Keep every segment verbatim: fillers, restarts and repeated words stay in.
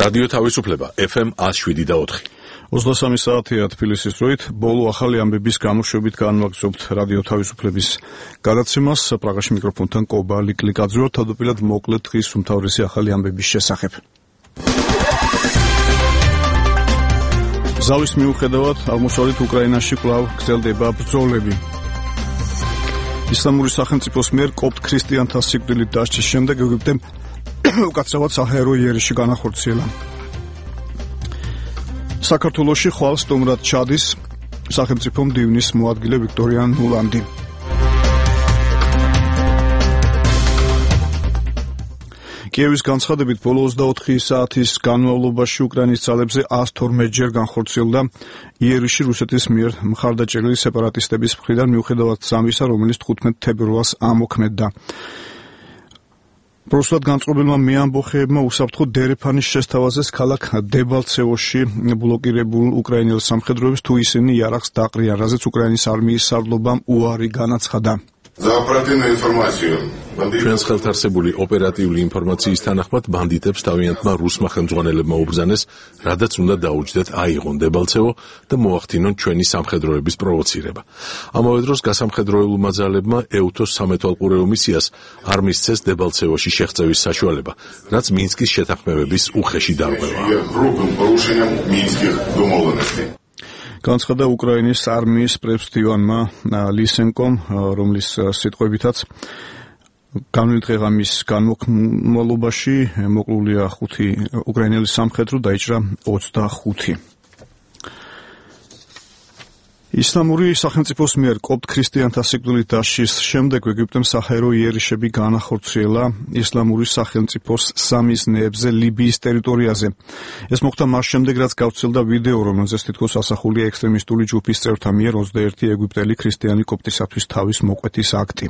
რადიო თავისუფლება ეფ ემ ათს შვიდი და ოთხი. ოცდასამი საათია თბილისის დროით. ბოლო ახალი ამბების გამოშვებით განვაგრძობთ რადიო თავისუფლების გადაცემას. პრაღაში მიკროფონთან კობა ლიკლიკაძე ვარ. თავდაპირველად მოკლედ დღის უმთავრესი ახალი ამბების შესახებ. ზავის მიუხედავად აღმოსავლეთ უკრაინაში კვლავ გრძელდება ბრძოლები. ისლამური სახელმწიფოს მიერ კოპტ ქრისტიანთა სიკვდილით დასჯის შემდეგ ეგვიპტემ უკაცრავად საჰაერო იერიში განახორციელა. საქართველოში ხვალ სტუმრად ჩადის სახელმწიფო მდივნის მოადგილე ვიქტორია ნულანდი. კიევის განცხადებით ბოლო ოცდაოთხი საათის განმავლობაში უკრაინის ძალებზე ას თორმეტჯერ განხორციელდა იერიში რუსეთის მიერ მხარდაჭერილი სეპარატისტების მხრიდან მიუხედავად ზამისა, რომელიც თხუთმეტ თებერვალს ამოქმედდა. პროსტად განწყობილმა მეამბოხეებმა უსაფრთხო დერეფანის შესთავაზეს ქალაქ დებალცევოში ბლოკირებულ უკრაინელ სამხედროებს, თუ ისინი იარაღს დაყრიან, რაზეც უკრაინის არმიის სარდლობამ უარი განაცხადა. ჩვენს ხელთარსებული ოპერატიული ინფორმაციის თანახმად ბანდიტებს თავიანთმა რუსმა ხელმძღვანელებმა უბრძანეს, რადაც უნდა დაუჯდეთ აიღონ დებალცევო და მოახდინონ ჩვენი სამხედროების პროვოცირება. ამავე დროს გასამხედროებულმა ძალებმა ეუთოს სამეთვალყურეო მისიას არ მისცეს დებალცევოში შეღწევის საშუალება, რაც მინსკის შეთანხმებების უხეში დარღვევაა. განცხადა უკრაინის არმიის პრეფექტივანმა ლისენკომ, რომლის სიტყვებითაც განვლილი დღეღამის განმავლობაში მოკლულია ხუთი უკრაინელი სამხედრო, დაიჭრა ოცდახუთი. ისლამური სახელმწიფოს მიერ კოპტ ქრისტიანთა სიკვდილით დასჯის შემდეგ ეგვიპტემ საჰაერო იერიშები განახორციელა ისლამური სახელმწიფოს სამიზნეებზე ლიბიის ტერიტორიაზე. ეს მოხდა მას შემდეგ, რაც გავრცელდა ვიდეო, რომელზეც თითქოს ასახულია ექსტრემისტული ჯგუფის წევრთა მიერ ოცდაერთი ეგვიპტელი ქრისტიანი კოპტისათვის თავის მოკვეთის აქტი.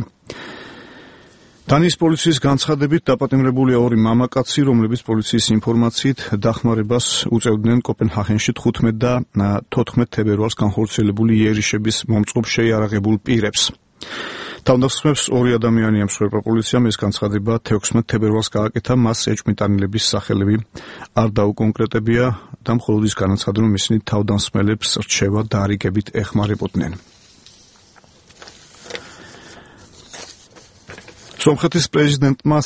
დანიის პოლიციის განცხადებით დაპატიმრებულია ორი მამაკაცი, რომლებიც პოლიციის ინფორმაციით დახმარებას უწევდნენ კოპენჰაგენში თხუთმეტ და თოთხმეტ თებერვალს განხორციელებული იერიშების მომწყობ შეიარაღებულ პირებს. თავდასხმებს ორი ადამიანი ემსხვერპლა პოლიციამ. ეს განცხადება თექვსმეტ თებერვალს გააკეთა, მას ეჭვმიტანილების სახელები არ დაუკონკრეტებია და მხოლოდ ის განაცხადა, რომ ისინი თავდამსხმელებს რჩევა დაარიგებით ეხმარებოდნენ. სომხეთის პრეზიდენტმა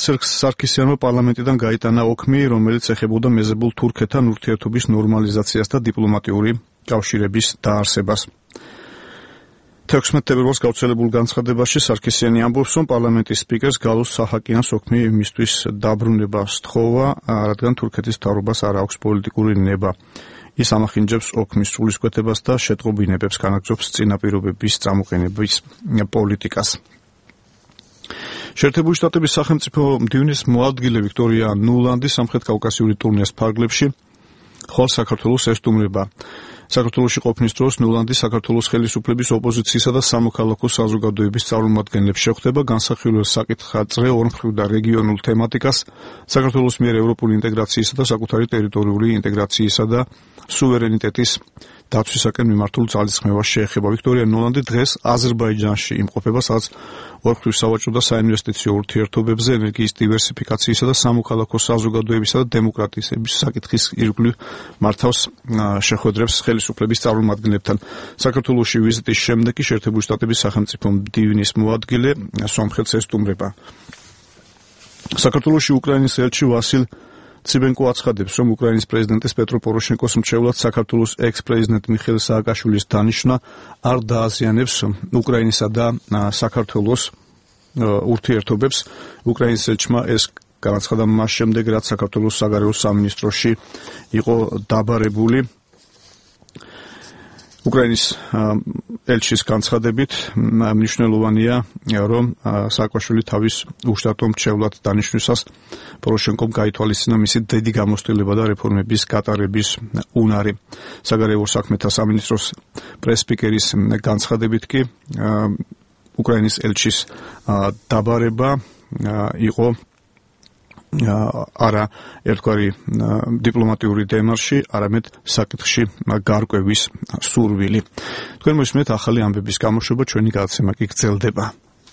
სარქისიანმა პარლამენტიდან გაიტანა ოქმი, რომელიც ეხებოდა მეზებულ თურქეთთან ურთიერთობის ნორმალიზაციას და დიპლომატიური კავშირების დაარსებას. თექვსმეტ თებერვალს გავრცელებულ განცხადებაში სარქისიანი ამბობს, რომ პარლამენტის სპიკერს გალოს საჰაკიანს ოქმი მისთვის დაბრუნება სთხოვა, რადგან თურქეთის მთავრობას არ აქვს პოლიტიკური ნება. ის ამახინჯებს ოქმის სულისკვეთებას და შეტყობინებებს, განაგრძობს წინაპირობების წამოყენების პოლიტიკას. შეერთებული შტატების სახელმწიფო მდივნის მოადგილე ვიქტორია ნულანდი სამხრეთ კავკასიური ტურნეს ფარგლებში ხვალ საქართველოს ესტუმრება. საქართველოში ყოფნის დროს ნულანდი საქართველოს ხელისუფლების ოპოზიციისა და სამოქალაქო საზოგადოების წარმომადგენლებს შეხვდება, განსახილველ საკითხად-წრე ორმხრივ და რეგიონულ თემატიკას, საქართველოს მიერ ევროპული ინტეგრაციისა და საკუთარი ტერიტორიული ინტეგრაციისა და სუვერენიტეტის დაცვისაკენ მიმართულ ძალისხმევას შეეხება. ვიქტორია ნულანდი დღეს აზერბაიჯანში იმყოფება, სადაც ორმხრივ სავაჭრო და საინვესტიციო ურთიერთობებზე, ენერგიის დივერსიფიკაციისა და სამოქალაქო საზოგადოებისა და დემოკრატიის საკითხის ირგვლივ მართავს შეხვედრებს ხელისუფლების წარმომადგენლებთან. საქართველოში ვიზიტის შემდეგ კი შეერთებული შტატების სახელმწიფო მდივნის მოადგილე სომხეთს ესტუმრება. საქართველოში უკრაინის ელჩი ვასილ ციბენკო აცხადებს, რომ უკრაინის პრეზიდენტის პეტრო პოროშენკოს მრჩევლად საქართველოს ექს-პრეზიდენტ მიხეილ სააკაშვილის დანიშვნა არ დააზიანებს უკრაინისა და საქართველოს ურთიერთობებს. უკრაინის ელჩმა ეს განაცხადა მას შემდეგ, რაც საქართველოს საგარეო სამინისტროში იყო დაბარებული. უკრაინის ელჩის განცხადებით მნიშვნელოვანია, რომ სააკაშვილი თავის უშტატო მრჩევლად დანიშვნისას პოროშენკომ გაითვალისწინა მისი დიდი გამოცდილება და რეფორმების გატარების უნარი. საგარეო საქმეთა სამინისტროს პრეს-სპიკერის განცხადებით კი უკრაინის ელჩის დაბარება იყო არა ერთგვარი დიპლომატიური დემარში, არამედ საკითხში გარკვევის სურვილი. თქვენ მოსმენთ ახალი ამბების გამოშვება, ჩვენი გადაცემა კი გრძელდება.